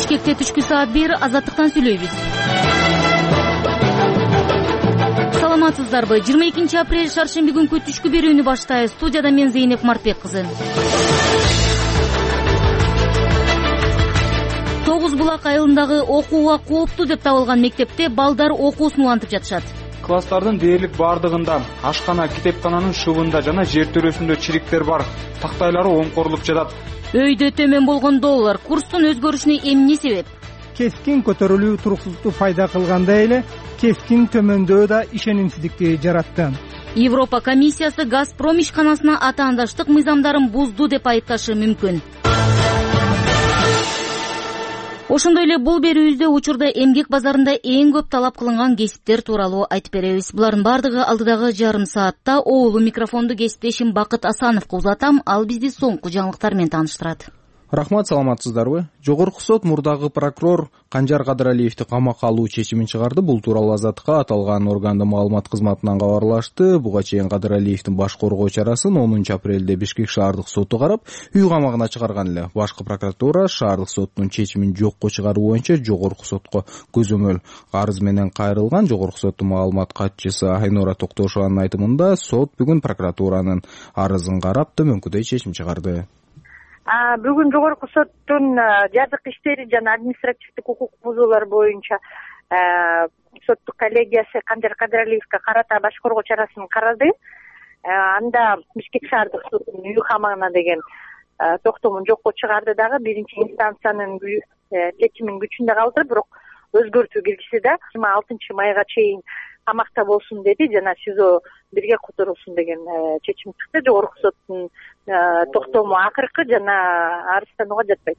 Бишкекте түшкү саат 1 Азаттыктан сүйлөйбүз. Саламатсыздарбы? 22 апрель шаршемби күнкү түшкү берүүнү баштайбыз. Студияда мен Зейнеп Мартбек кызы. Тогуз Булак айылындагы окууга кооптуу деп табылган мектепте балдар окуусун улантып жатышат. Класстардын дээрлик баардыгында ашкана, китепкананын шыбында жана жертөлөсүндө чириктер бар, тактайлары оңкорулуп жатат. Өйдө төмөн болгон доллар курстун өзгөрүшүнө эмне себеп? Кескин көтөрүлүү туруксуздукту пайда кылгандай эле кескин төмөндөө да ишенимсиздикти жаратты. Европа комиссиясы Газпром ишканасына атаандаштык мыйзамдарын бузду деп айыпташы мүмкүн. Ошондой эле бул берүүбүздө учурда эмгек базарында эң көп талап кылынган кесиптер тууралуу айтып беребиз. Булардын бардыгы алдыдагы жарым саатта. Оолу микрофонду кесиптешим Бакыт Асановго узатам. Ал бизди соңку жаңылыктар менен тааныштырат. Рахмат, саламатсыздарбы? Жогорку сот мурдагы прокурор Канжар Кадыралиевди камакка алуу чечимин чыгарды. Бул тууралуу Азаттыкка аталган органдын маалымат кызматынан кабарлашты. Буга чейин Кадыралиевдин баш коргоо чарасын 10 апрелде Бишкек шаардык соту карап, үй камагына чыгарган эле. Башкы прокуратура шаардык соттун чечимин жокко чыгаруу боюнча жогорку сотко көзөмөл арыз менен кайрылган. Жогорку соттун маалымат катчысы Айнора Токтошованын айтымында сот бүгүн прокуратуранын арызын карап төмөнкүдөй чечим чыгарды. Бүгүн жогорку соттун жазык иштери жана административдик укук бузуулар боюнча соттук коллегиясы Канжар Кадыралиевге карата баш коргоо чарасын карады. Анда Бишкек шаардык сотунун үй камагына деген токтомун жокко чыгарды дагы биринчи инстанциянын чечимин күчүндө калтырып, бирок өзгөртүү киргизди да 26 майга чейин камакта болсун деди жана СИЗО бирге которулсун деген чечим чыкты. Жогорку соттун токтому акыркы жана арызданууга жатпайт.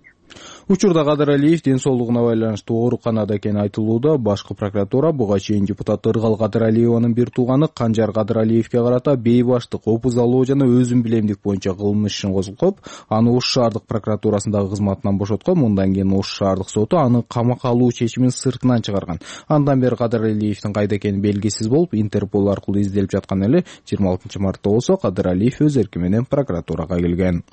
Учурда Кадыралиев ден соолугуна байланыштуу ооруканада экени айтылууда. Башкы прокуратура буга чейин депутат Ыргал Кадыралиеванын бир тууганы Канжар Кадыралиевге карата бейбаштык, опузалоо жана өзүн билемдик боюнча кылмыш ишин козгоп, аны Ош шаардык прокуратурасындагы кызматынан бошоткон. Мындан кийин Ош шаардык соту аны камакка алуу чечимин сыртынан чыгарган. Андан бери Кадыралиевдин кайда экени белгисиз болуп, Интерпол аркылуу изделип жаткан эле. 26 мартта болсо Кадыралиев өз эрки менен прокуратурага келген.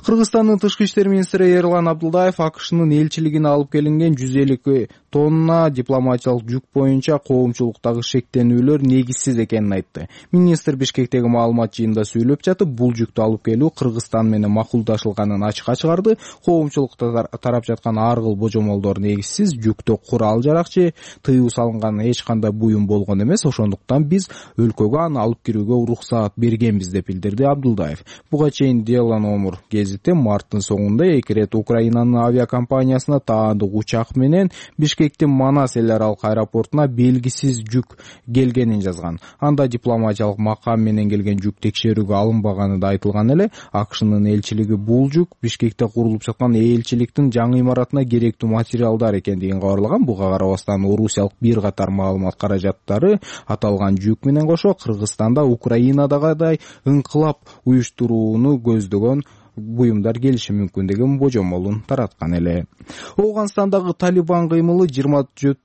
Кыргызстандын тышкы иштер министри Эрлан Абдулдаев АКШнын элчилигине алып келинген 150 тонна дипломатиялык жүк боюнча коомчулуктагы шектенүүлөр негизсиз экенин айтты. Министр Бишкектеги маалымат жыйынында сүйлөп жатып, бул жүктү алып келүү Кыргызстан менен макулдашылганын ачыкка чыгарды. Коомчулукта тарап жаткан ар кыл божомолдор негизсиз, жүктө курал-жарак же тыюу салынган эч кандай буюм болгон эмес. Ошондуктан биз өлкөгө аны алып кирүүгө уруксаат бергенбиз деп билдирди Абдулдаев. Буга чейин Дело Номур гезити марттын соңунда 2 рет Украинанын авиакомпаниясына таандык учак менен Бишкектин Манас эл аралык аэропортуна белгисиз жүк келгенин жазган. Анда дипломатиялык макам менен келген жүк текшерүүгө алынбаганы да айтылган эле. АКШнын элчилиги бул жүк Бишкекте курулуп жаткан элчиликтин жаңы имаратына керектүү материалдар экендигин кабарлаган. Буга карабастан орусиялык бир катар маалымат каражаттары аталган жүк менен кошо Кыргызстанда Украинадагыдай ыңкылап уюштурууну көздөгөн буюмдар келиши мүмкүн деген божомолун тараткан эле. Ооганстандагы Талибан кыймылы 24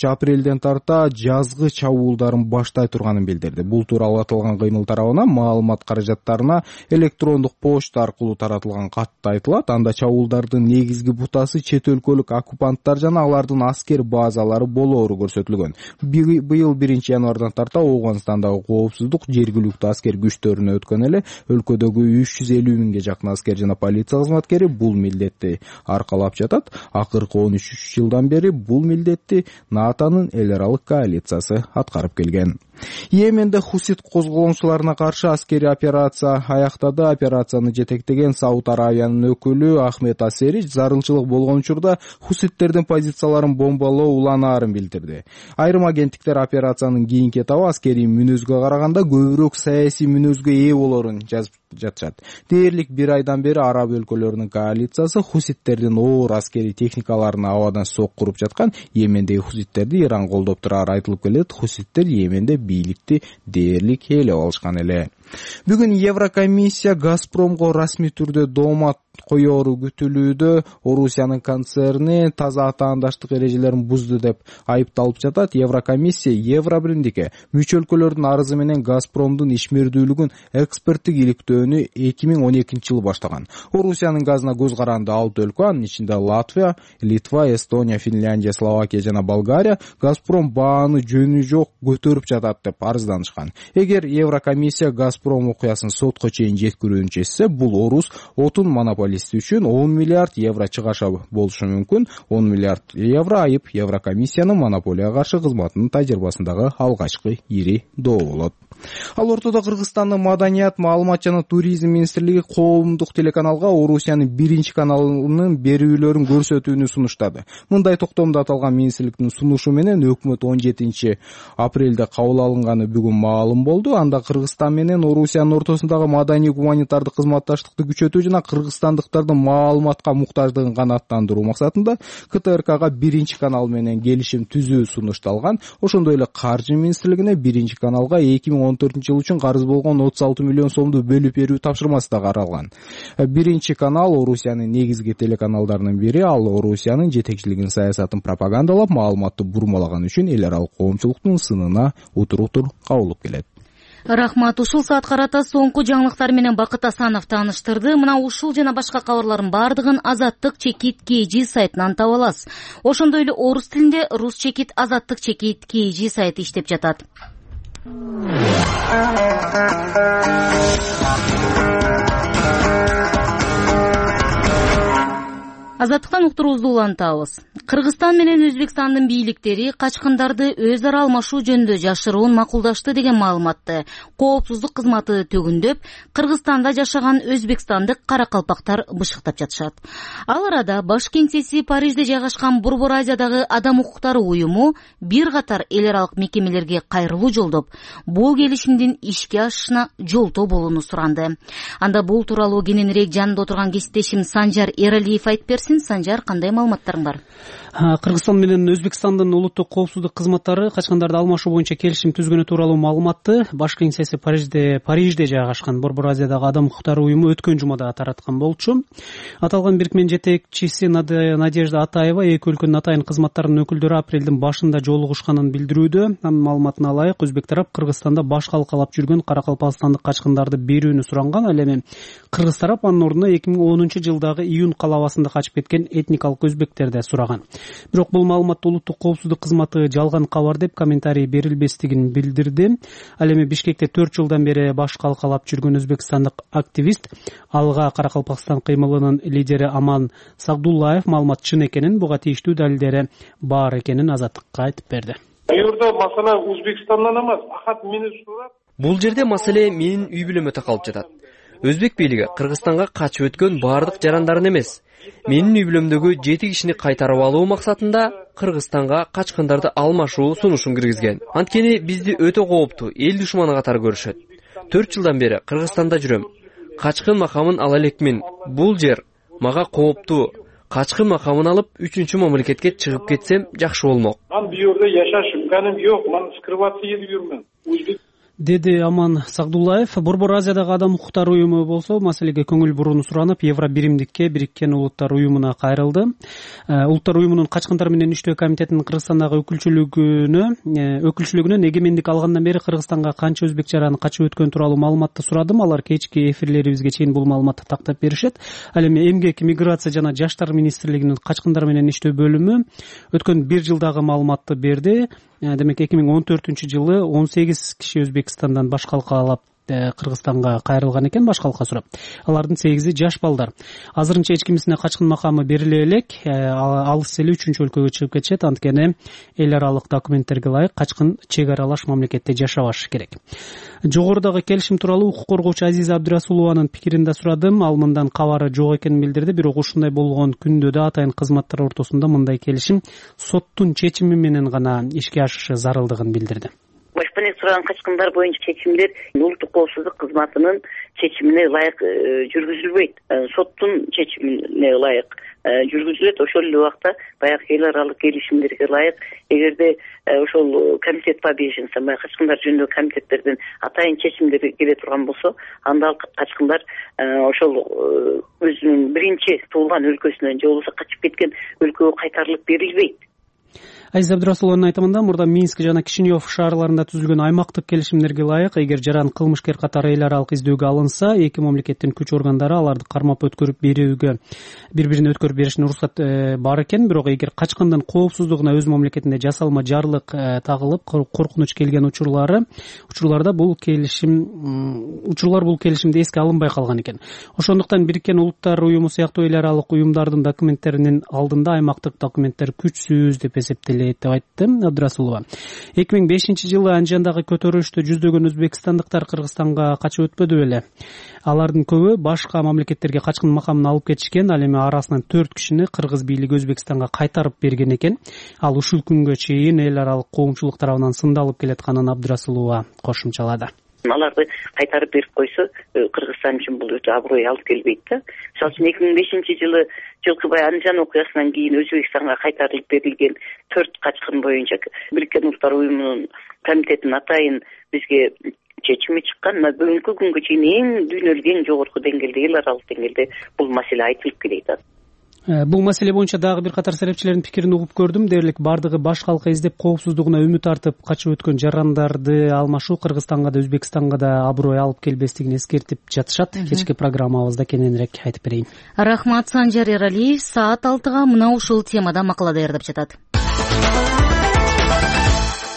апрелден тарта жазгы чабуулдарын баштай турганын билдирди. Бул тууралуу аталган кыймыл тарабынан маалымат каражаттарына электрондук почта аркылуу таратылган катта айтылат. Анда чабуулдардын негизги бутасы чет өлкөлүк оккупанттар жана алардын аскер базалары болоору көрсөтүлгөн. Быйыл 1 январдан тарта Ооганстандагы коопсуздук жергиликтүү аскер күчтөрүнө өткөн эле. Өлкөдөгү 350 миңге жакын аскер жана полиция кызматкери бул милдетти аркалап жатат. Акыркы 13 жылдан бери бул милдет НАТОнун эл аралык коалициясы аткарып келген. Йеменде хусит козголоңчуларына каршы аскерий операция аяктады. Операцияны жетектеген Сауд Аравиянын өкүлү Ахмед Асери зарылчылык болгон учурда хуситтердин позицияларын бомбалоо уланаарын билдирди. Айрым агенттиктер операциянын кийинки этабы аскерий мүнөзгө караганда көбүрөөк саясий мүнөзгө ээ болоорун жазып жатышат. Дээрлик 1 айдан бери араб өлкөлөрүнүн коалициясы хуситтердин оор аскерий техникаларын абадан соккуруп жаткан. Йемендеги хуситтерди Иран колдоп турары айтылып келет. Хуситтер Йеменде бийликти дээрлик ээлеп алышкан эле. Бүгүн Еврокомиссия Газпромго расмий түрдө доомат коеру күтүлүүдө. Орусиянын концерни таза атаандаштык эрежелерин бузду деп айыпталып жатат. Еврокомиссия Евробиримдикке мүчө өлкөлөрдүн арызы менен Газпромдун ишмердүүлүгүн эксперттик иликтөөнү 2012 жылы баштаган. Орусиянын газына көз каранды 6 өлкө, анын ичинде Латвия, Литва, Эстония, Финляндия, Словакия жана Болгария Газпром бааны жөнү жок көтөрүп жатат деп арызданышкан. Эгер Еврокомиссия Газпром окуясын сотко чейин жеткирүүнү чечсе, бул орус отун монополисти үчүн 10 миллиард евро чыгаша болушу мүмкүн. 10 миллиард евро айып Еврокомиссиянын монополияга каршы кызматынын тажрыйбасындагы алгачкы ири доо болот. Ал ортодо Кыргызстандын маданият, маалымат жана туризм министрлиги коомдук телеканалга Орусиянын 1 каналынын берүүлөрүн көрсөтүүнү сунуштады. Мындай токтомдо аталган министрликтин сунушу менен өкмөт 17 апрелде кабыл алынганы бүгүн маалым болду. Анда Кыргызстан менен Орусиянын ортосундагы маданий гуманитардык кызматташтыкты күчөтүү жана кыргызстандыктардын маалыматка муктаждыгын канааттандыруу максатында КТРКга 1 канал менен келишим түзүү сунушталган. Ошондой эле Каржы министрлигине 1 каналга 2014 жыл үчүн карыз болгон 36 миллион сомду бөлүп берүү тапшырмасы да каралган. 1 канал Орусиянын негизги телеканалдарынын бири, ал Орусиянын жетекчилигинин саясатын пропагандалап, маалыматты бурмалаган үчүн эл аралык коомчулуктун сынына утур-утур кабылып келет. Рахмат. Ушул саат карата соңку жаңылыктар менен Бакыт Асанов тааныштырды. Мына ушул жана башка кабарлардын бардыгын Азаттык чекит KG сайтынан таба аласыз. Ошондой эле орус тилинде Рус чекит Азаттык чекит KG сайты иштеп жатат. Азаттыктан уктуруубузду улантабыз. Кыргызстан менен Өзбекстандын бийликтери качкындарды өз ара алмашуу жөнүндө жашыруун макулдашты деген маалыматты коопсуздук кызматы төгүндөп, Кыргызстанда жашаган өзбекстандык каракалпактар бышыктап жатышат. Ал арада баш кеңсеси Парижде жайгашкан Борбор Азиядагы адам укуктары уюму бир катар эл аралык мекемелерге кайрылуу жолдоп, бул келишимдин ишке ашышына жолтоо болууну суранды. Анда бул тууралуу кененирээк жанында отурган кесиптешим Санжар Эралиев айтып берсин. Санжар, кандай маалыматтарың бар? Кыргызстан менен Өзбекстандын улуттук коопсуздук кызматтары качкындарды алмашуу боюнча келишим түзгөнү тууралуу маалыматты баш кеңсеси Парижде жайгашкан Борбор Азиядагы адам укуктары уюму өткөн жумада тараткан болчу. Аталган бирикменин жетекчиси Надежда Атаева эки өлкөнүн атайын кызматтарынын өкүлдөрү апрелдин башында жолугушканын билдирүүдө. Анын маалыматына ылайык, Өзбек тарап Кыргызстанда баш калкалап жүргөн каракалпакстандык качкындарды берүүнү суранган. Ал эми Кыргыз тарап анын ордуна 2010 жылдагы июнь калабасында качып кеткен этникалык өзбектерди сураган. Бирок бул маалыматты улуттук коопсуздук кызматы жалган кабар деп комментарий берилбестигин билдирди. Ал эми Бишкекте 4 жылдан бери баш калкалап жүргөн өзбекстандык активист, Алга Каракалпакстан кыймылынын лидери Аман Сагдуллаев маалымат чын экенин, буга тийиштүү далилдери бар экенин Азаттыкка айтып берди. Буерда маселе Өзбекстандан эмес, акат мени сурап. Бул жерде маселе менин үй бүлөмө такалып жатат. Өзбек бийлиги Кыргызстанга качып өткөн бардык жарандарын эмес, менин үй бүлөмдөгү 7 кишини кайтарып алуу максатында Кыргызстанга качкындарды алмашуу сунушун киргизген. Анткени бизди өтө кооптуу эл душманы катары көрүшөт. 4 жылдан бери Кыргызстанда жүрөм. Качкын макамын ала элекмин. Бул жер мага кооптуу. Качкын макамын алып 3-чү мамлекетке чыгып кетсем жакшы болмок. Мен бу жерде жашаш имканым жок. Мен скрываться этип жүрмүн. Деди Аман Сагдуллаев. Борбор Азиядагы адам укуктары уюму болсо маселеге көңүл бурууну суранып, Евробиримдикке Бириккен Улуттар уюмуна кайрылды. Улуттар уюмунун качкындар менен иштөө комитетинин Кыргызстандагы өкүлчүлүгүнөн эгемендик алгандан бери Кыргызстанга канча өзбек жараны качып өткөн тууралуу маалыматты сурадым. Алар кечки эфирлерибизге чейин бул маалыматты тактап беришет. Ал эми Эмгек, миграция жана жаштар министрлигинин качкындар менен иштөө бөлүмү өткөн 1 жылдагы маалыматты берди. Демек 2014 жылы 18 киши Өзбекстандан баш калкалап Кыргызстанга кайрылган экен, баш калка сурап. Алардын 8-и жаш балдар. Азырынча эч кимисине качкын макамы бериле элек. Алыс эле 3-чү өлкөгө чыгып кетишет. Анткени эл аралык документтерге ылайык качкын чек аралаш мамлекетте жашабашы керек. Жогорудагы келишим тууралуу укук коргоочу Азиза Абдырасулованын пикирин да сурадым. Ал мындан кабары жок экенин билдирди. Бирок ушундай болгон күндө да атайын кызматтар ортосунда мындай келишим соттун чечими менен гана ишке ашышы зарылдыгын билдирди. башпанек сураган качкындар боюнча чечимдер улуттук коопсуздук кызматынын чечимине ылайык жүргүзүлбөйт, соттун чечимине ылайык жүргүзүлөт. Ошол эле убакта баягы эл аралык келишимдерге ылайык, эгерде ошол комитет по беженцам, баягы качкындар жөнүндөгү комитеттерден атайын чечимдер келе турган болсо, анда качкындар ошол өзүнүн биринчи туулган өлкөсүнөн же болбосо качып кеткен өлкөгө кайтарылып берилбейт. Азиз Абдырасулованын айтымында мурда Минск жана Кишинев шаарларында түзүлгөн аймактык келишимдерге ылайык, эгер жаран кылмышкер катары эл аралык издөөгө алынса, эки мамлекеттин күч органдары аларды кармап өткөрүп берүүгө, бири-бирин өткөрүп беришине уруксат бар экен. Бирок эгер качкындын коопсуздугуна өз мамлекетинде жасалма жарлык тагылып, коркунуч келген учурларда бул келишимде эске алынбай калган экен. Ошондуктан Бириккен Улуттар уюму сыяктуу эл аралык уюмдардын документтеринин алдында аймактык документтер күчсүз деп эсептелет деп айтты Абдырасулова. 2005-жылы Анжандагы көтөрүлүштө жүздөгөн өзбекстандыктар Кыргызстанга качып өтпөдү беле. Алардын көбү башка мамлекеттерге качкын макамын алып кетишкен. Ал эми арасынан 4 кишини кыргыз бийлиги Өзбекстанга кайтарып берген экен. Ал ушул күнгө чейин эл аралык коомчулук тарабынан сындалып келатканын Абдырасулова кошумчалады. Аларды кайтарып берип койсо, Кыргызстан үчүн бул өтө аброй алып келбейт да. Мисалы үчүн 2005-жылы Жылкыбай Анжан окуясынан кийин Өзбекстанга кайтарылып берилген 4 качкын боюнча Бириккен Улуттар уюмунун комитетинин атайын бизге чечими чыккан. Бүгүнкү күнгө чейин эң дүйнөлүк эң жогорку деңгээлде, эл аралык деңгээлде бул маселе айтылып келет. Бул маселе боюнча дагы бир катар серепчилердин пикирин угуп көрдүм. Дээрлик бардыгы баш калка издеп коопсуздугуна үмүт артып качып өткөн жарандарды алмашуу Кыргызстанга да Өзбекстанга да аброй алып келбестигин эскертип жатышат. Кечки программабызда кененирээк айтып берейин. Рахмат, Санжар Эралиев саат 6-га мына ушул темада макала даярдап жатат.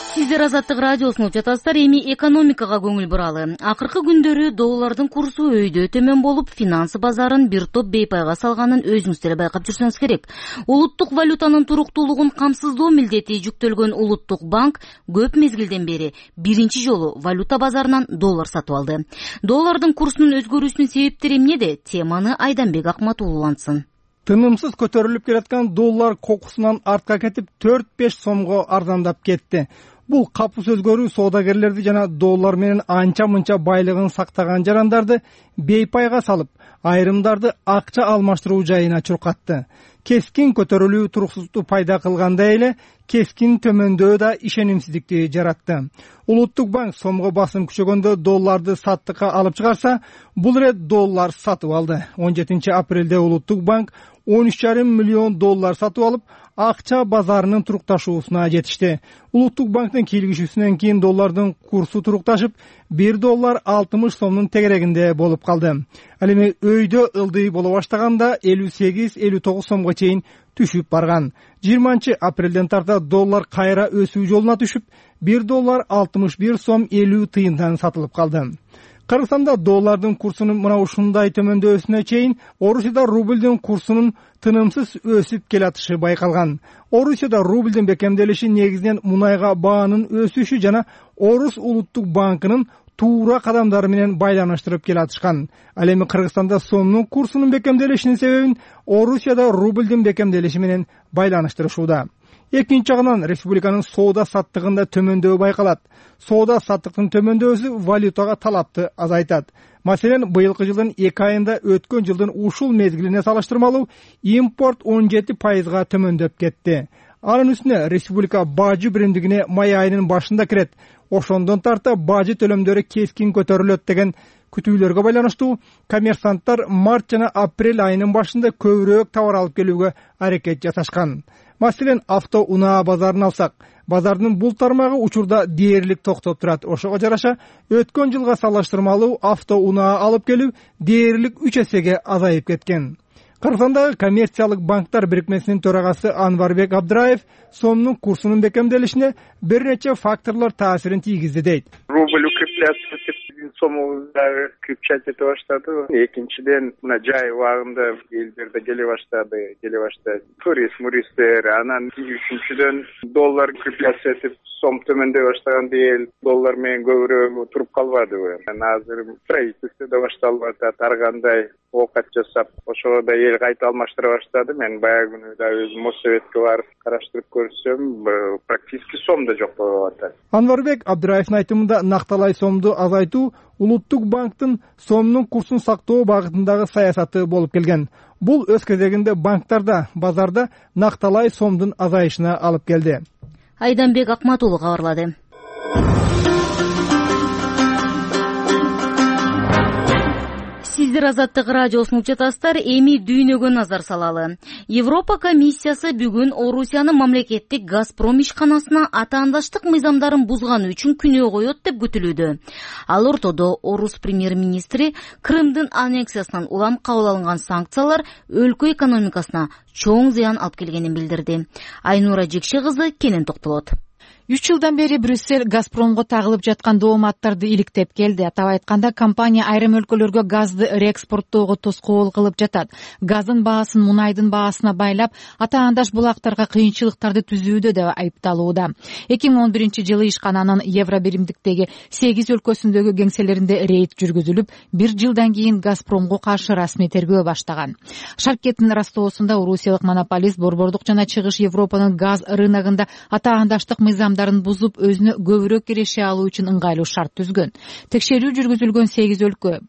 Сиздер Азаттык радиосун угуп жатасыздар. Эми экономикага көңүл буралы. Акыркы күндөрү доллардын курсу өйдө төмөн болуп, финансы базарын бир топ бейпайга салганын өзүңүздөр байкап жүрсөңүз керек. Улуттук валютанын туруктуулугун камсыздоо милдети жүктөлгөн Улуттук банк көп мезгилден бери биринчи жолу валюта базарынан доллар сатып алды. Доллардын курсунун өзгөрүүсүнүн себептери эмнеде? Теманы Айданбек Акмат улантсын. Тынымсыз көтөрүлүп келаткан доллар кокусунан артка кетип 4-5 сомго арзандап кетти. Бул капыс өзгөрүү соодагерлерди жана доллар менен анча-мынча байлыгын сактаган жарандарды бейпайга салып, айрымдарды акча алмаштыруу жайына чуркатты. Кескин көтөрүлүү туруксуздукту пайда кылгандай эле, кескин төмөндөөө да ишенимсиздикти жаратты. Улуттук банк сомго басым күчөгөндө долларды саттыкка алып чыгарса, бул рет доллар сатып алды. 17 апрелде Улуттук банк 13,5 миллион доллар сатып алып, акча базарынын турукташуусуна жетишти. Улуттук банктын кийлигишүүсүнөн кийин доллардын курсу турукташып, 1 доллар 60 сомдун тегерегинде болуп калды. Ал эми өйдө ылдый боло баштаганда 58-59 сомго чейин түшүп барган. 20 апрелден тарта доллар кайра өсүү жолуна түшүп, 1 доллар 61 сом 50 тыйындан сатылып калды. Кыргызстанда доллардын курсунун мына ушундай төмөндөсүнө чейин Орусияда рублдун курсунун тынымсыз өсүп келатышы байкалган. Орусияда рублдун бекемделиши негизинен мунайга баанын өсүшү жана Орус улуттук банкынын туура кадамдары менен байланыштырып келатышкан. Ал эми Кыргызстанда сомдун курсунун бекемделишинин себебин Орусияда рублдун бекемделиши менен байланыштырышууда. Экинчи жагынан республиканын соода саттыгында төмөндөөө байкалат. Соода саттыктын төмөндөсү валютага талапты азайтат. Маселен, быйылкы жылдын 2 айында өткөн жылдын ушул мезгилине салыштырмалуу импорт 17% төмөндөп кетти. Анын үстүнө республика бажы биримдигине май айынын башында кирет. Ошондон тарта бажы төлөмдөрү кескин көтөрүлөт деген күтүүлөргө байланыштуу коммерсанттар март жана апрель айынын башында көбүрөөк товар алып келүүгө аракет жасашкан. Маселен, автоунаа базарын алсак, базардын бул тармагы учурда дээрлик токтоп турат. Ошого жараша өткөн жылга салыштырмалуу автоунаа алып келүү дээрлик 3 эсеге азайып кеткен. Кыргызстандагы коммерциялык банктар бирикмесинин төрагасы Анварбек Абдыраев сомдун курсунун бекемделишине бир нече факторлор таасирин тийгизди дейт. Рубль укрепляется, биздин сомубуз дагы крепчать эте баштады. Экинчиден мына жай убагында элдерде келе баштады туристтер. Анан үчүнчүдөн доллар крепляция этип сом төмөндөй баштаган эл доллар менен көбүрөөк туруп калбадыбы. Азыр правительство да башталып атат, ар кандай оокат жасап, ошого да эл кайта алмаштыра баштады. Мен баягы күнү да өзүм Моссоветке барып караштырып көрсөм, практически сом да жок болуп атат. Анварбек Абдыраевдин айтымында накталай сомду азайтуу Улуттук банктын сомдун курсун сактоо багытындагы саясаты болуп келген. Бул өз кезегинде банктарда, базарда накталай сомдун азайышына алып келди. Айданбек Акматулу кабарлады. Сиздер Азаттык радиосун угуп жатасыздар. Эми дүйнөгө назар салалы. Европа комиссиясы бүгүн Орусиянын мамлекеттик Газпром ишканасына атаандаштык мыйзамдарын бузганы үчүн күнөө коет деп күтүлүүдө. Ал ортодо орус премьер-министри Крымдын аннексиясынан улам кабыл алынган санкциялар өлкө экономикасына чоң зыян алып келгенин билдирди. Айнура Жекше кызы кенен токтолот. 3 жылдан бери Брюссель Газпромго тагылып жаткан дооматтарды иликтеп келди. Атап айтканда, компания айрым өлкөлөргө газды реэкспорттоого тоскоол кылып жатат. Газдын баасын мунайдын баасына байлап, атаандаш булактарга кыйынчылыктарды түзүүдө деп айыпталууда. 2011-жылы ишкананын евро биримдиктеги 8 өлкөсүндөгү кеңселеринде рейд жүргүзүлүп, 1 жылдан кийин Газпромго каршы расмий тергөө баштаган. Шаркеттин растоосунда орусиялык монополист борбордук жана чыгыш Европанын газ рыногунда атаандаштык мыйзамдарын бузуп, өзүнө көбүрөөк киреше алуу үчүн ыңгайлуу шарт түзгөн. Текшерүү жүргүзүлгөн 8 өлкө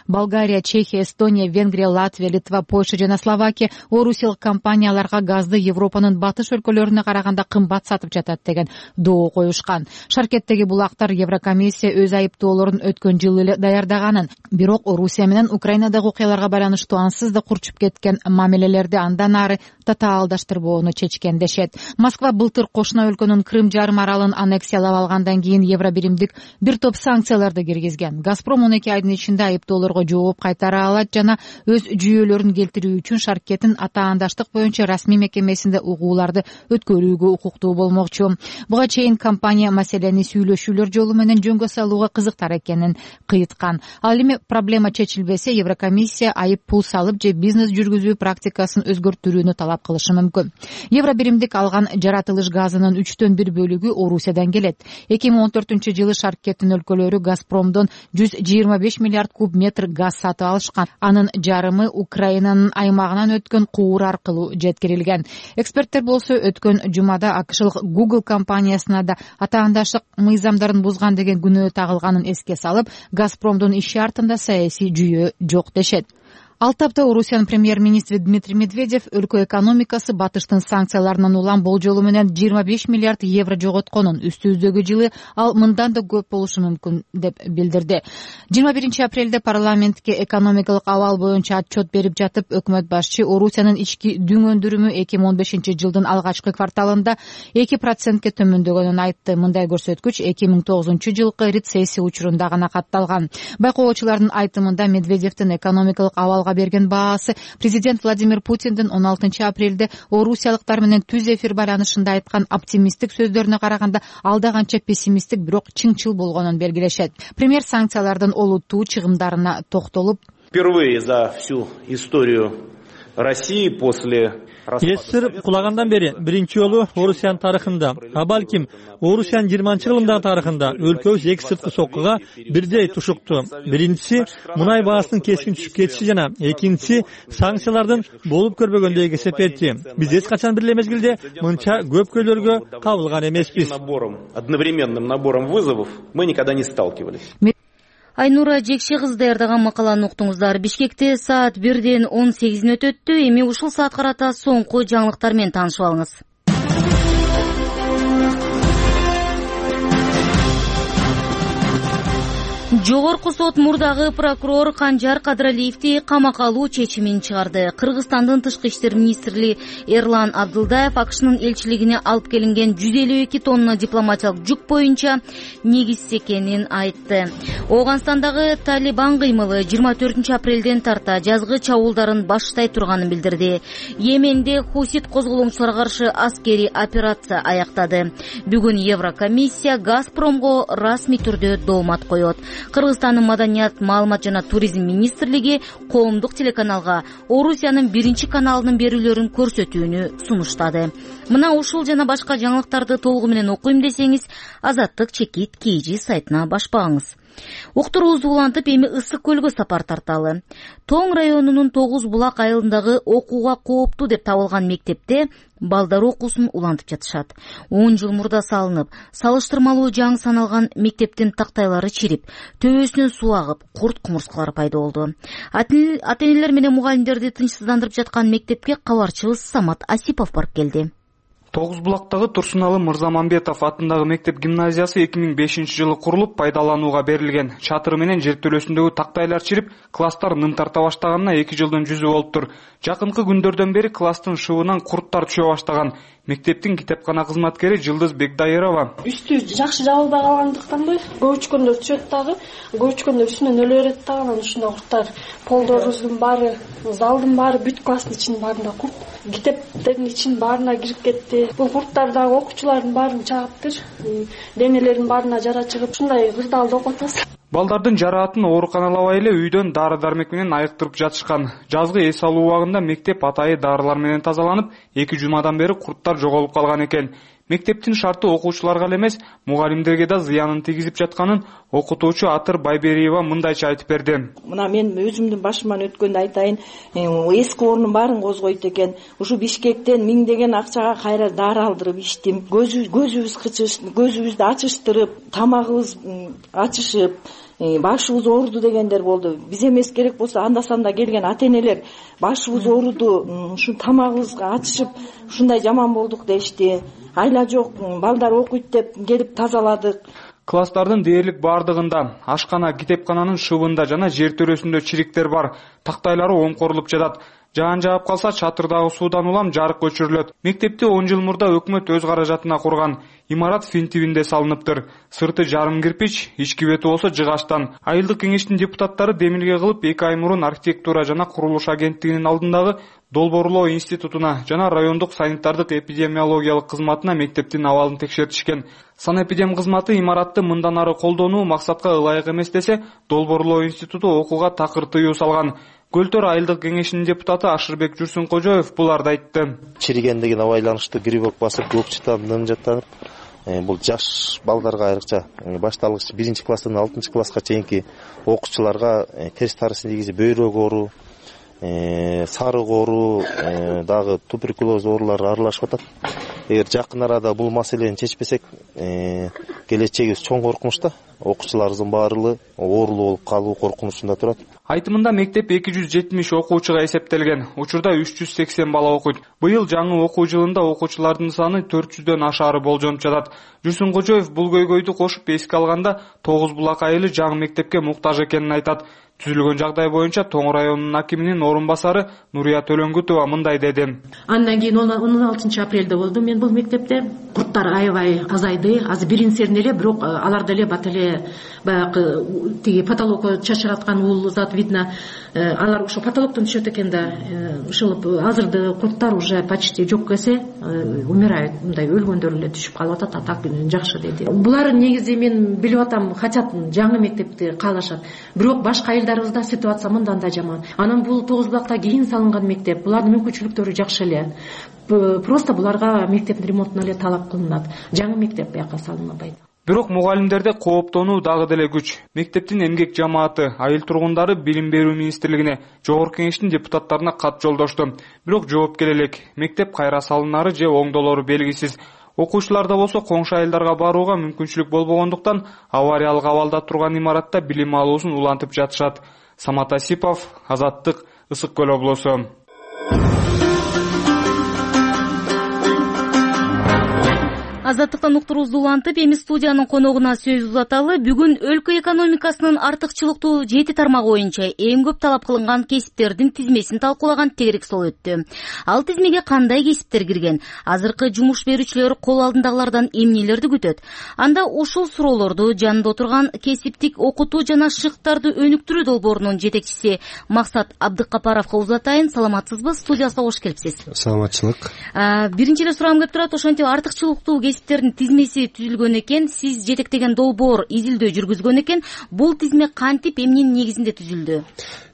Болгария, Чехия, Эстония, Венгрия, Латвия, Литва, Польша жана Словакия орусиялык компанияларга газды Европанын батыш өлкөлөрүнө караганда кымбат сатып жатат деген доо коюшкан. Шаркеттеги булактар Еврокомиссия өз айыптоолорун өткөн жылы эле даярдаганын, бирок Орусия менен Украинадагы окуяларга байланыштуу ансыз да курчуп кеткен мамилелерди андан ары татаалдаштырбоону чечкен дешет. Москва былтыр кошуна өлкөнүн Крым жарым аралын аннексиялап алгандан кийин евро биримдик бир топ санкцияларды киргизген. Газпром 12 айдын ичинде айыптоолорго жооп кайтара алат жана өз жүйөлөрүн келтирүү үчүн шаркеттин атаандаштык боюнча расмий мекемесинде угууларды өткөрүүгө укуктуу болмокчу. Буга чейин компания маселени сүйлөшүүлөр жолу менен жөнгө салууга кызыктар экенин кыйткан. Ал эми проблема чечилбесе, Еврокомиссия айып пул салып же бизнес жүргүзүү практикасын өзгөртүүнү талап кылышы мүмкүн. Евро биримдик алган жаратылыш газынын 3/1 бөлүгү Орусиядан келет. 2014-жылы шаркеттин өлкөлөрү Газпромдон 125 миллиард куб метр газ сатып алышкан. Анын жарымы Украинанын аймагынан өткөн куур аркылуу жеткирилген. Эксперттер болсо өткөн жумада АКШлык Google компаниясына да атаандаштык мыйзамдарын бузган деген күнөө тагылганын эске салып, Газпромдун иши артында саясий жүйөө жок дешет. Ал тапта Орусиянын премьер-министри Дмитрий Медведев өлкө экономикасы батыштын санкцияларынан улам болжолу менен 25 миллиард евро жоготконун, үстүбүздөгү жылы ал мындан да көп болушу мүмкүн деп билдирди. 21 апрелде парламентке экономикалык абал боюнча отчет берип жатып, өкмөт башчы Орусиянын ички дүң өндүрүмү 2015-жылдын алгачкы кварталында 2%ке төмөндөгөнүн айтты. Мындай көрсөткүч 2009-жылкы рецессия учурунда гана катталган. Байкоочулардын айтымында Медведевдин экономикалык абалга берген баасы президент Владимир Путиндин 16 апрелде орусиялыктар менен түз эфир байланышында айткан оптимисттик сөздөрүнө караганда алда канча пессимисттик, бирок чыңчыл болгонун белгилешет. Премьер санкциялардын олуттуу чыгымдарына токтолуп, впервые за всю историю России после СССР кулагандан бери биринчи жолу Орусиянын тарыхында, а балким Орусиянын 20-жылдагы тарыхында өлкөбүз эки сырткы соккуга бирдей тушукту. Биринчиси мунай баасынын кескин түшүп кетиши жана экинчиси санкциялардын болуп көрбөгөндөй кесеп берти. Биз эч качан бир эле мезгилде мынча көп көйлөргө кабылган эмеспиз. Одновременным набором вызовов мы никогда не сталкивались. Айнура Жекше кызы даярдаган макаланы уктуңуздар. Бишкекте саат 1-ден 18 өтөттү. Эми ушул саат карата соңку жаңылыктар менен таанышып алыңыз. Жогорку сот мурдагы прокурор Канжар Кадыралиевди камакка алуу чечимин чыгарды. Кыргызстандын тышкы иштер министри Эрлан Абдылдаев АКШнын элчилигине алып келинген 152 тонна дипломатиялык жүк боюнча негизсиз экенин айтты. Ооганстандагы Талибан кыймылы 24 апрелден тарта жазгы чабуулдарын баштай турганын билдирди. Йеменде хусит козголоңчуларга каршы аскерий операция аяктады. Бүгүн Еврокомиссия Газпромго расмий түрдө доомат коет. Кыргызстандын маданият, маалымат жана туризм министрлиги коомдук телеканалга Орусиянын биринчи каналынын берүүлөрүн көрсөтүүнү сунуштады. Мына ушул жана башка жаңылыктарды толугу менен окуйм десеңиз, Азаттык чекит KG сайтына башпагыңыз. Уктуруубузду улантып, эми Ысык көлгө сапар тарталы. Тоң районунун Тогуз булак айылындагы окууга кооптуу деп табылган мектепте балдар окуусун улантып жатышат. 10 жыл мурда салынып, салыштырмалуу жаңы саналган мектептин тактайлары чирип, төбөсүнөн суу агып, курт-кумурскалар пайда болду. Ата-энелер менен мугалимдерди тынчсыздандырып жаткан мектепке кабарчыбыз Самат Асипов барып келди. Тогуз булактагы Турсуналы Мырзамамбетов атындагы мектеп гимназиясы 2005-жылы курулуп пайдаланууга берилген. Чатыры менен жертөлөсүндөгү тактайлар чирип, класстар ным тарта баштаганына 2 жылдын жүзү болуптур. Жакынкы күндөрдөн бери класстын шыбынан курттар түшө баштаган. Мектептин китепкана кызматкери Жылдыз Бекдайырова: Үстү жакшы жабылбай калгандыктанбы, көп өчкөндө түшөт дагы, көп өчкөндө үстүнөн өлө берет дагы. Анан ушундай курттар, полдорубуздун баары, залдын баары, бүт класстын ичинин баарында курт, китептердин ичинин баарына кирип кетти. Бул курттар дагы окуучулардын баарын чагыптыр, денелеринин баарына жара чыгып, ушундай кырдаалда окуп атабыз. Балдардын жараатын ооруканалабай эле үйдөн дары-дармек менен айыктырып жатышкан. Жазгы эс алуу убагында мектеп атайы дарылар менен тазаланып, 2 жумадан бери курттар жоголуп калган экен. Мектептин шарты окуучуларга эле эмес, мугалимдерге да зыянын тийгизип жатканын окутуучу Атыр Байбериева мындайча айтып берди. Мына мен өзүмдүн башыман өткөндү айтайын, эски ордун баарын козгойт экен. Ушу Бишкектен миңдеген акчага кайра дары алдырып иштим. Көзүбүздү ачыштырып, тамагыбыз ачышып, башыбыз ооруду дегендер болду. Биз эмес керек болсо анда-санда келген ата-энелер башыбыз ооруду, ушу тамагыбызга ачышып, ушундай жаман болдук дешти. Айла жок, балдар окуйт деп келип тазаладык. Класстардын дээрлик бардыгында ашкана, китепкананын шыбында жана жертөлөсүндө чириктер бар. Тактайлары оңкорулуп жатат. Жаан жаап калса, чатырдагы суудан улам жарык өчүрүлөт. Мектепти 10 жыл мурда өкмөт өз каражатына курган. Имарат финтибинде салыныптыр. Сырты жарым кирпич, ички бети болсо жыгачтан. Айылдык кеңештин депутаттары демилге кылып 2 ай мурун архитектура жана курулуш агенттигинин алдындагы Долбоорлоо институтуна жана райондук санитардык эпидемиологиялык кызматына мектептин абалын текшертишкен. Санэпидем кызматы имаратты мындан ары колдонуу максатка ылайык эмес десе, Долбоорлоо институту окууга такыр тыюу салган. Көлтөр айылдык кеңешинин депутаты Ашырбек Жүрсүнкожоев буларды айтты. Чиригендигине абайланыштуу грибок басып, көкчүтан ным жаттанып, бул жаш балдарга айрыкча башталгыч 1-класстан 6-класска чейинки окуучуларга терс тарысын тийгизип, бөйрөк оору, сары оору, дагы туберкулоз оорулары аралашып атат. Эгер жакын арада бул маселени чечпесек, келечегибиз чоң коркунучта. Окуучуларыбыздын баары оорулуу болуп калуу коркунучунда турат. Айтымында мектеп 270 окуучуга эсептелген. Учурда 380 бала окуйт. Быйыл жаңы окуу жылында окуучулардын саны 400дөн ашаары болжонуп жатат. Жүрсүнкожоев бул көйгөйдү кошуп эске алганда Тогуз булак айылы жаңы мектепке муктаж экенин айтат. Түзүлгөн жагдай боюнча Тоң районунун акиминин орун басары Нурия Төлөнгүтова мындай деди. Андан кийин 16 апрелде болду. Мен бул мектепте курттар аябай азайды. Азыр биринчисерин эле, бирок алар деле бат эле баягы тиги потолокко чачыраткан уул зат видно. Алар ошо потолоктон түшөт экен да. Ушул азырды курттар уже почти жок эсе умирают. Мындай өлгөндөр эле түшүп калып атат. А так жакшы деди. Булар негизи мен билип атам, хотят жаңы мектепти каалашат. Бирок башка айылдарыбызда ситуация мындан да жаман. Анан бул Тогуз булакта кийин салынган мектеп. Булардын мүмкүнчүлүктөрү жакшы эле. Просто буларга мектептин ремонтуна эле талап кылынат. Жаңы мектеп бияка салынбайт. Бирок мугалимдерде кооптонуу дагы деле күч. Мектептин эмгек жамааты, айыл тургундары Билим берүү министрлигине, Жогорку кеңештин депутаттарына кат жолдошту. Бирок жооп келе элек. Мектеп кайра салынары же оңдолору белгисиз. Окуучуларда болсо коңшу айылдарга барууга мүмкүнчүлүк болбогондуктан авариялык абалда турган имаратта билим алуусун улантып жатышат. Самат Асипов, Азаттык, Ысык көл облусу. Азаттыктан уктуруубузду улантып, эми студиянын коногуна сөз узаталы. Бүгүн өлкө экономикасынын артыкчылыктуу 7 тармагы боюнча эң көп талап кылынган кесиптердин тизмесин талкуулаган тегерек стол өттү. Ал тизмеге кандай кесиптер кирген? Азыркы жумуш берүүчүлөр кол алдындагылардан эмнелерди күтөт? Анда ушул суроолорду жанында отурган кесиптик окутуу жана шыктарды өнүктүрүү долбоорунун жетекчиси Максат Абдыкапаровго узатайын. Саламатсызбы? Студияга кош келипсиз. Саламатчылык. Биринчи эле суроом келип турат. Ошентип артыкчылыктуу кесиптер кесиптердин тизмеси түзүлгөн экен, сиз жетектеген долбоор изилдөө жүргүзгөн экен. Бул тизме кантип, эмненин негизинде түзүлдү?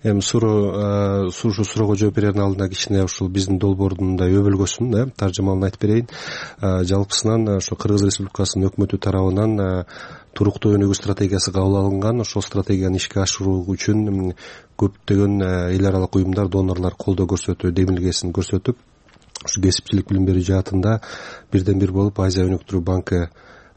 Эми ушу суроого жооп берердин алдында кичине ушул биздин долбоордун да өбөлгөсүн таржымалын айтып берейин. Жалпысынан ошо Кыргыз Республикасынын өкмөтү тарабынан туруктуу өнүгүү стратегиясы кабыл алынган. Ошол стратегияны ишке ашыруу үчүн көптөгөн эл аралык уюмдар, донорлор колдоо көрсөтүү демилгесин көрсөтүп, ушу кесипчилик билим берүү жаатында бирден бир болуп Азия өнүктүрүү банкы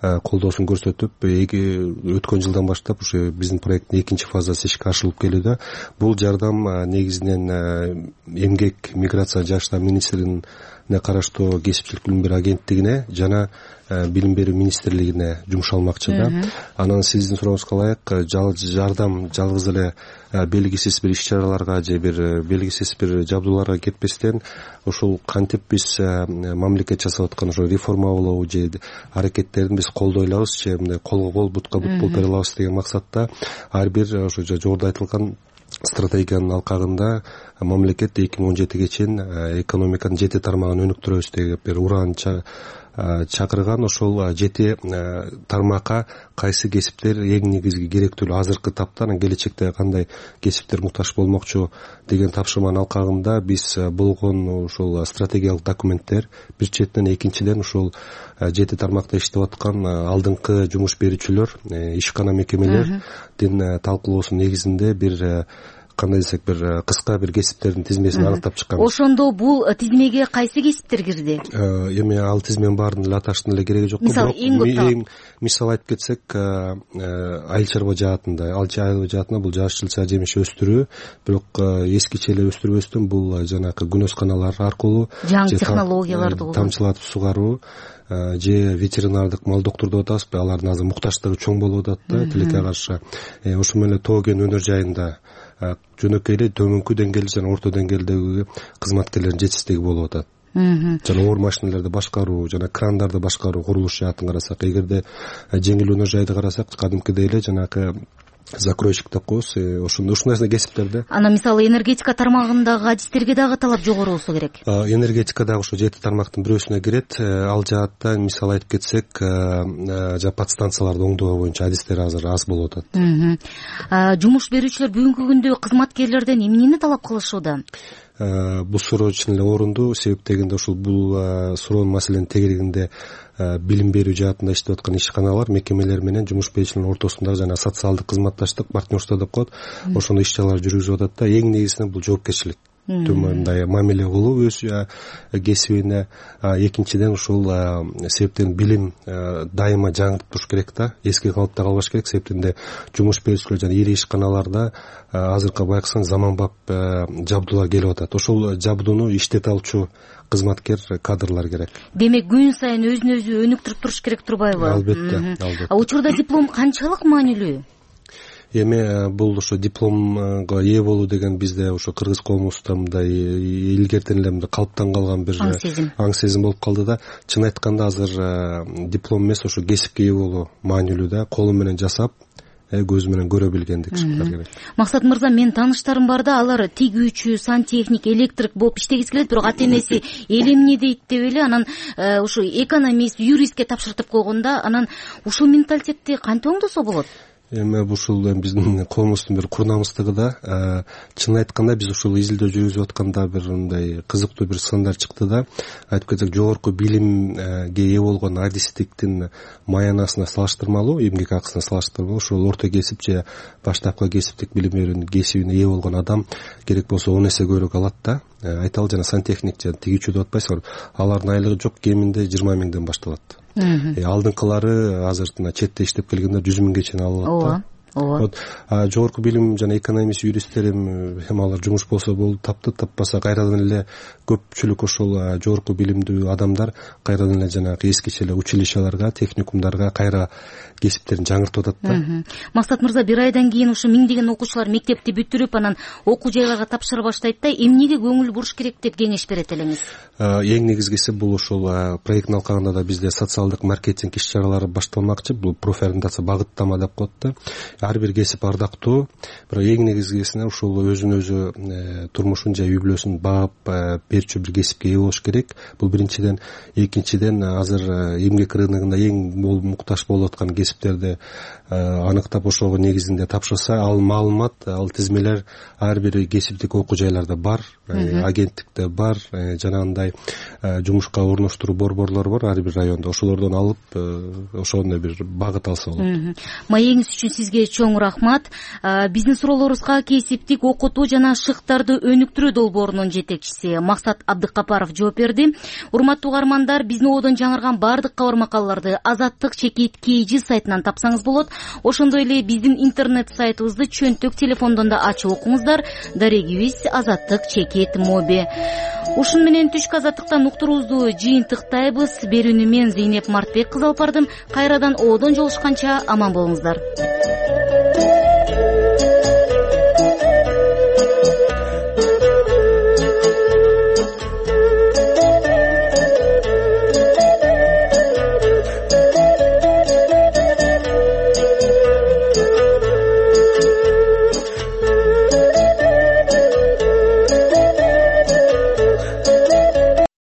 колдоосун көрсөтүп, өткөн жылдан баштап ушу биздин проекттин экинчи фазасы ишке ашырылып келүүдө. Бул жардам негизинен эмгек, миграция, жаштар министрлигине караштуу кесипчилик билим берүү агенттигине жана билим берүү министрлигине жумшалмакчы да. Анан сиздин сурооңузга ылайык жардам жалгыз эле белгисиз бир иш-чараларга же бир белгисиз бир жабдууларга кетпестен ушул кантип биз мамлекет жасап аткан ошо реформалоо же аракеттерин биз колдойлабыз же мындай колго кол, бутка бут болуп бере алабыз деген максатта ар бир ошо жогоруда айтылган стратегиянын алкагында мамлекет 2017 чейин экономиканын 7 тармагын өнүктүрөбүз деп бир ураан чакырган. Ошол 7 тармакка кайсы кесиптер эң негизги керектүү азыркы тапта, анан келечекте кандай кесиптер муктаж болмокчу деген тапшырманын алкагында биз болгон ушул стратегиялык документтер бир четинен, экинчиден ушул 7 тармакта иштеп аткан алдыңкы жумуш берүүчүлөр, ишкана мекемелердин талкуулоосунун негизинде бир кандай десек бир кыска бир кесиптердин тизмесин аныктап чыкканбыз. Ошондо бул тизмеге кайсы кесиптер кирди? Эми ал тизменин баарын эле аташтын эле кереги жок. Мисалы мисал айтып кетсек, айыл чарба жаатында, бул жашылча жемиш өстүрүү, бирок эскиче эле өстүрбөстөн бул жанагы күнөсканалар аркылуу жаңы технологияларды тамчылатып сугаруу же ветеринардык мал доктор деп атабызбы, алардын азыр муктаждыгы чоң болуп атат да тилекке каршы. Ошо менен тоо кен өнөр жайында жөнөкөй эле төмөнкү деңгээл жана орто деңгээлдеги кызматкерлердин жетишсиздиги болуп атат. Жана оор машиналарды башкаруу жана крандарды башкаруу курулуш жаатын карасак, эгерде жеңил өнөр жайды карасак, кадимкидей эле жанагы закройщик деп коебуз, ушундай кесиптерде. Анан мисалы энергетика тармагындагы адистерге дагы талап жогору болсо керек. Энергетика дагы ошо 7 тармактын бирөөсүнө кирет. Ал жаатта мисал айтып кетсек, подстанцияларды оңдоо боюнча адистер азыр аз болуп атат. Жумуш берүүчүлөр бүгүнкү күндө кызматкерлерден эмнени талап кылышууда? Бул суроо чын эле орундуу, себеп дегенде ушул бул суроонун маселенин тегерегинде билим берүү жаатында иштеп аткан ишканалар, мекемелер менен жумуш берүүчүлөрдүн ортосундагы жана социалдык кызматташтык, партнерство деп коет, ошондой иш-чаралар жүргүзүп атат да. Эң негизинен бул жоопкерчилик. Мындай мамиле кылуу өз кесибине. Экинчиден ушул себептен билим дайыма жаңырып туруш керек да, эски калыпта калбаш керек. Себептен жумуш берүүчүлөр жана ири ишканаларда азыркы байкасаң заманбап жабдуулар келип атат. Ошол жабдууну иштете алчу кызматкер кадрлар керек. Демек күн сайын өзүн өзү өнүктүрүп туруш керек турбайбы? Албетте. Учурда диплом канчалык маанилүү? Эми бул ошо дипломго ээ болуу деген бизде ошо кыргыз коомубузда мындай илгертен эле мындай калыптан калган бир аң сезим болуп калды да. Чын айтканда азыр диплом эмес, ошо кесипке ээ болуу маанилүү да. Колу менен жасап, көзү менен көрө билгенди кишилер керек. Максат мырза, мен тааныштарым бар да, алар тигүүчү, сантехник, электрик болуп иштегиси келет, бирок ата энеси эл эмне дейт деп эле анан ушу экономист, юристке тапшыртып койгонда, анан ушул менталитетти кантип оңдосо болот? Эми ушул биздин коомубуздун бир курнамыздыгы да. Чын айтканда биз ушул изилдөө жүргүзүп атканда бир мындай кызыктуу бир сындар чыкты да. Айтып кетсек, жогорку билимге ээ болгон адистиктин маянасына салыштырмалуу, эмгек акысына салыштырмалуу ушул орто кесип же баштапкы кесиптик билим берүүнүн кесибине ээ болгон адам керек болсо 10 эсе көбүрөөк алат да. Айталы жана сантехник же тигүүчү деп атпайсызбы, алардын айлыгы жок кеминде 20 миңден башталат. Алдыңкылары азыр четте иштеп келгенде 100 миңге чейин алат да. Жогорку билим жана экономист, юристтер эми алар жумуш болсо болду, тапты, таппаса кайрадан эле көпчүлүк ошол жогорку билимдүү адамдар кайрадан эле жанагы эскиче эле училищаларга, техникумдарга кайра кесиптерин жаңыртып атат да. Максат мырза, бир айдан кийин ушу миңдеген окуучулар мектепти бүтүрүп, анан окуу жайларга тапшыра баштайт да, эмнеге көңүл буруш керек деп кеңеш берет элеңиз? Эң негизгиси бул ошол проекттин алкагында да бизде социалдык маркетинг иш-чаралары башталмакчы. Бул профориентация, багыттама деп коет да. ар бир кесип ардактуу, бирок эң негизгисине ушул өзүн өзү турмушун же үй бүлөсүн баап берчү бир кесипке ээ болуш керек. Бул биринчиден. Экинчиден, азыр эмгек рыногунда эң муктаж болуп аткан кесиптерди аныктап ошого негизинде тапшырса, ал маалымат, ал тизмелер ар бир кесиптик окуу жайларда бар, агенттикте бар, жанагындай жумушка орноштуруу борборлор бар ар бир райондо. Ошолордон алып, ошондой бир багыт алса болот. Маегиңиз үчүн сизге чоң рахмат. Биздин суроолорубузга кесиптик окутуу жана шыктарды өнүктүрүү долбоорунун жетекчиси Максат Абдыкапаров жооп берди. Урматтуу угармандар, биздин одон жаңырган бардык кабар макалаларды Азаттык чекит KG сайтынан тапсаңыз болот. Ошондой эле биздин интернет сайтыбызды чөнтөк телефондон да ачып окуңуздар. Дарегибиз Азаттык чекит моби. Ушун менен түшкү азаттыктан уктуруубузду жыйынтыктайбыз. Берүүнү мен Зейнеп Мартбек кызы алып бардым. Кайрадан одон жолушканча аман болуңуздар.